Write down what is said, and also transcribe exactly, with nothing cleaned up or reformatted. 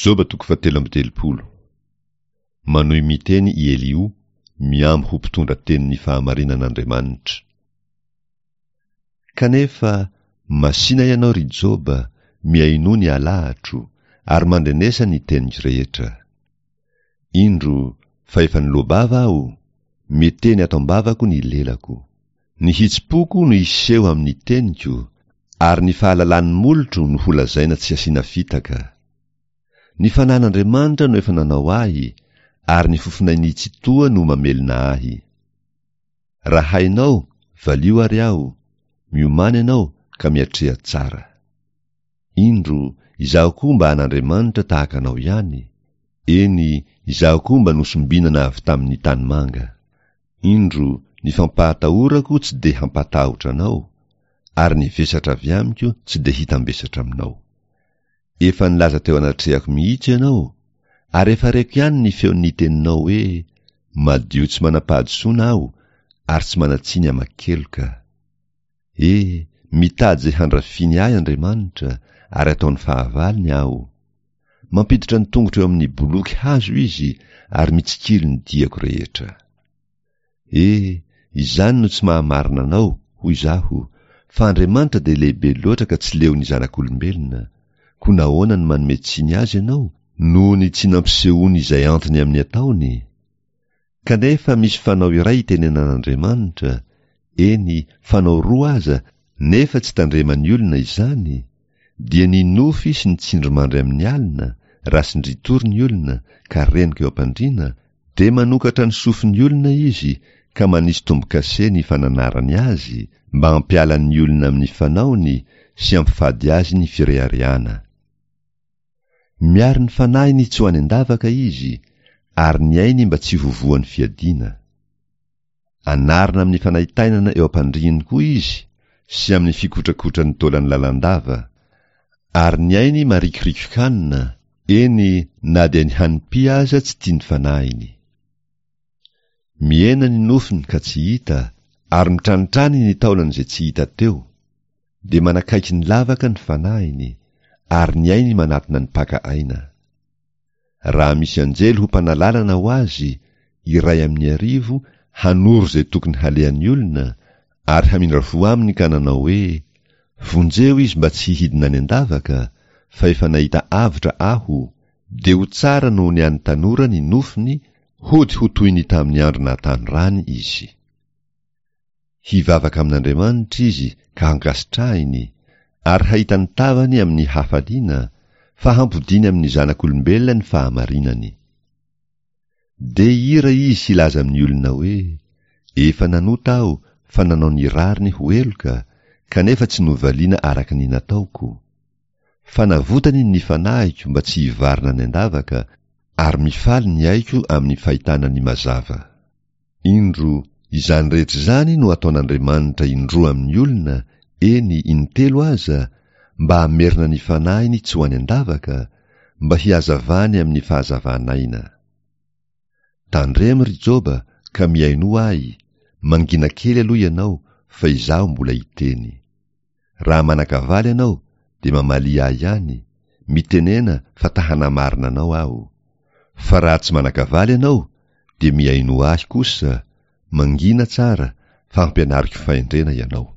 Joba toko fahatelo amby telopolo. Manohy miteny i Eliho, mihambo ho mpitondra tenin'ny fahamarinan'Andriamanitra. Kanefa, masìna ianao ry Joba, mihainoa ny alahatro, ary mandrenesa ny teniko rehetra. Indro, fa efa niloa-bava aho, miteny ato am-bavako ny lelako. Ny hitsim-poko no hiseho amin'ny teniko, ary ny fahalalan'ny molotro no holazaina tsy asiana fitaka. Ny fanan'Andriamanitra no efa nanao ahy, ary ny fofonain'ny Tsitoha no mamelona ahy. Raha hainao, valio ary aho, miomàna ianao ka miatreha tsara. Indro, izaho koa mba an'Andriamanitra tahaka anao ihany, eny, izaho koa mba nosombinana avy tamin'ny tanimanga. Indro, ny fampahatahorako tsy dia hampatahotra anao, ary ny vesatra avy amiko tsy dia hitambesatra aminao. Efa nilaza teo anatrehako mihitsy ianao, ary efa reko ihany ny feon'ny teninao hoe, Madio tsy manam-pahadisoana aho, ary tsy manan-tsiny aman-keloka. E, mitady izay handrafiany ahy Andriamanitra, ary ataony fahavalony aho. Mampiditra ny tongotro eo amin'ny boloky hazo izy, ary mitsikilo ny diako rehetra. E, izany no tsy mahamarina anao, hoy izaho, fa Andriamanitra dia lehibe loatra ka tsy leon'ny zanak'olombelona. Koa nahoana no manome tsiny azy ianao, noho ny tsy nampisehoany izay antony amin'ny ataony? Kanefa misy fanao iray itenenan'Andriamanitra, eny, fanao roa aza, nefa tsy tandreman'ny olona izany, dia ny nofy sy ny tsindrimandry amin'ny alina, raha sindritory ny olona ka renoka eo am-pandriana, dia manokatra ny sofin'ny olona izy ka manisy tombo-kase ny fananarany azy, mba hampiala ny olona amin'ny fanaony sy hampifady azy ny fireharehana. Miaro ny fanahiny tsy ho any an-davaka izy, ary ny ainy mba tsy ho voan'ny fiadiana. Anarina amin'ny fanaintainana eo am-pandriany koa izy, sy amin'ny fikotrakotran'ny taolany lalandava, ary ny ainy marikoriko-kanina, eny na dia ny hanim-py aza tsy tian'ny fanahiny. Mihena ny nofony ka tsy hita, ary mitranitrany ny taolany izay tsy hita teo, dia manakaiky ny lavaka ny fanahiny, ary ny ainy manatona ny mpaka aina. Raha misy anjely ho mpanalalana ho azy, iray amin'ny arivo, hanoro izay tokony halehan'ny olona, ary hamindra fo aminy ka nanao hoe, Vonjeo izy mba tsy hidina any an-davaka, fa efa nahita avotra aho, dia ho tsara noho ny an'ny tanora ny nofony, hody ho toy ny tamin'ny andro nahatanorany izy. Hivavaka amin'Andriamanitra izy ka hankasitrahiny, ary hahita ny tavany amin'ny hafaliana, fa hampodiany amin'ny zanak'olombelona ny fahamarinany. Dia hihira izy hilaza amin'ny olona hoe, Efa nanota aho fa nanao ny rariny ho heloka, kanefa tsy novaliana araka ny nataoko. Fa navotany ny fanahiko mba tsy hivarina any an-davaka, ary mifaly ny aiko amin'ny fahitana ny mazava. Indro, izany rehetra izany no ataon'Andriamanitra indroa amin'ny olona, eny, intelo aza, mba hamerina ny fanahiny tsy ho any an-davaka, mba hihazavany amin'ny fahazavan'aina. Tandremo ry Joba ka mihainoa ahy, mangina kely aloha ianao, fa izaho mbola hiteny. Raha manan-kavaly ianao, dia mamalia ahy ihany, mitenena fa ta-hanamarina anao aho. Fa raha tsy manan-kavaly ianao, dia mihainoa ahy kosa, mangina tsara, fa hampianariko fahendrena ianao.